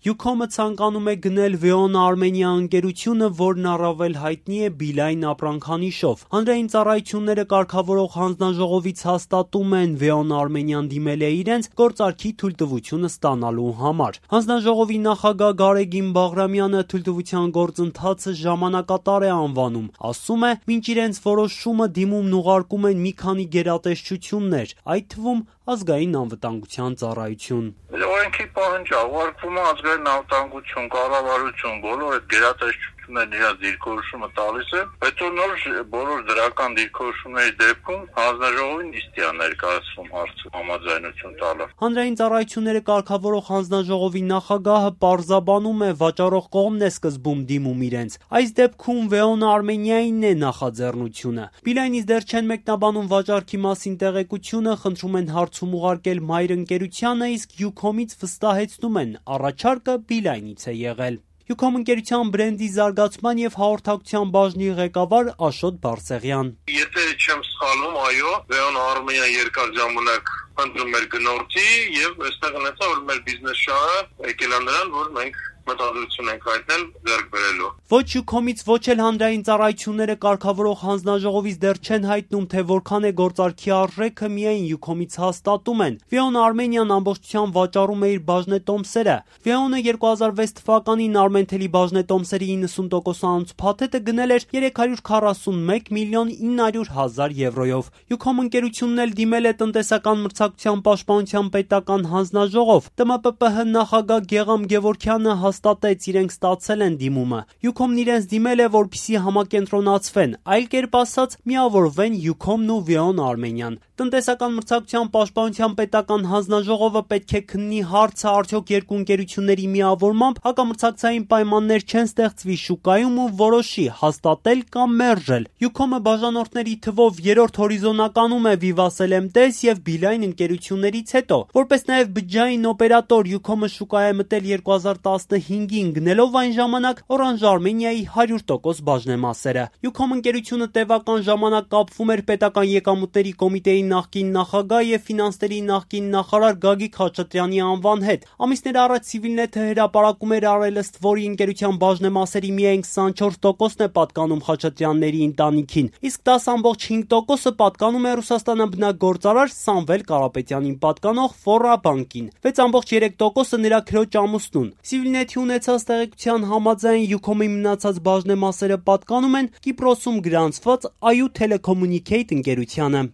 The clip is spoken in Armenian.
Ucom-ը ցանկանում է գնել VEON Armenia ընկերությունը, որն առավել հայտնի է Beeline ապրանքանիշով։ Հանրային ծառայությունները կարգավորող հանձնաժողովից հաստատում են VEON Armenian դիմել է իրենց գործարքի թույլտվությունը ստանալու համար։ Հանձնաժողովի նախագահ Գարեգին Բաղրամյանը թույլտվության գործընթացը ժամանակատար է անվանում, ասում է, մինչ իրենց որոշումը դիմումն ուղարկում են մի քանի գերատեսչություններ, այդ թվում ազգային անվտանգության ծառայություն։ Օրենքի պահանջ է, ուղարկվում է ազգային անվտանգություն, կառավարություն, բոլոր այդ գերատեսչություններն իրենց դիրքորոշումը տալիս է, հետո նոր բոլոր դրական դիրքորոշումների դեպքում հանձնաժողովին նիստի է ներկայացվում հարցը համաձայնություն տալը։ Հանրային ծառայությունները կարգավորող հանձնաժողովի նախագահը պարզաբանում է, վաճառող կողմն է սկզբում դիմում իրենց։ Այս դեպքում VEON Armenia-ինն է նախաձեռնությունը։ Beeline-ից դեռ չեն մեկնաբանում վաճառքի մասին տեղեկությունը, խնդրում են հարցում ուղարկել մայր ընկերությանը, իսկ Ucom-ից վստահեցնում են, առաջարկը Beeline-ից է եղել։ Ucom ընկերության բրենդի զարգացման եւ հաղորդակցության բաժնի ղեկավար Աշոտ Բարսեղյան։ Եթե չեմ սխալվում, այո, VEON Armenia երկար ժամանակ ընտրում էր գնորդի եւ այստեղ ունեցա, որ մեր բիզնես շահը եկել է նրան, որ մենք մտադրություն ենք հայտնել ձեռք բերելու։ Ոչ Ucom-ից, ոչ էլ հանրային ծառայությունները կարգավորող հանձնաժողովից դեռ չեն հայտնում, թե որքան է գործարքի արժեքը, միայն Ucom-ից հաստատում են։ VEON Armenian ամբողջությամբ վաճառում է իր բաժնետոմսերը։ VEON-ը 2006 թվականին Armentel-ի բաժնետոմսերի 90% անց փաթեթը գնել էր 341 միլիոն 900 հազար եվրոյով։ Ucom ընկերությունն էլ դիմել է տնտեսական մրցակցության պաշտպանության պետական հանձնաժողով։ ՏՄՊՊՀ նախագահ Գեգամ Գևորգյանը հաստատեց, իրենք ստացել են դիմումը։ Ucom-ն իրենց դիմել է, որպեսզի համակենտրոնացվեն, այլ կերպ ասած, միավորվեն Ucom-ն ու VEON Armenian։ Տնտեսական մրցակցության պաշտպանության պետական հանձնաժողովը պետք է քննի հարցը, արդյոք երկու ընկերությունների միավորմամբ հակամրցակցային պայմաններ չեն ստեղծվի շուկայում ու որոշի հաստատել կամ մերժել։ Ucom-ը բաժանորդների թվով երրորդ հորիզոնականում է Vivatel MTS եւ Beeline ընկերություններից հետո։ Որպես նաեւ բջջային օպերատոր Ucom-ը շուկա է մտել 2015-ին, գնելով այն ժամանակ Orange Armenia-ի 100% բաժնեմասերը։ Ucom ընկերությունը տևական ժամանակ կապվում էր պետական եկամուտների կոմիտեի նախկին նախագահ եւ ֆինանսների նախկին նախարար Գագիկ Խաչատրյանի անվան հետ։ Ամիսներ առաջ Civilnet-ը հրապարակում էր առելստ, որի ընկերության բաժնեմասերի միայն 24%-ն է պատկանում Խաչատրյանների ընտանիքին, իսկ 10.5%-ը պատկանում է Ռուսաստանաբնակ գործարար Սամվել Կարապետյանին պատկանող Ֆորա բանկին, 6.3%-ը նրա քրոջ ամուսնուն։ Civilnet-ի ունեցած տեղեկության համաձայն Ucom-ի մնացած բաժնեմասերը պատկանում են Կիպրոսում գրանցված Ayu Telecommunicate ընկերությանը։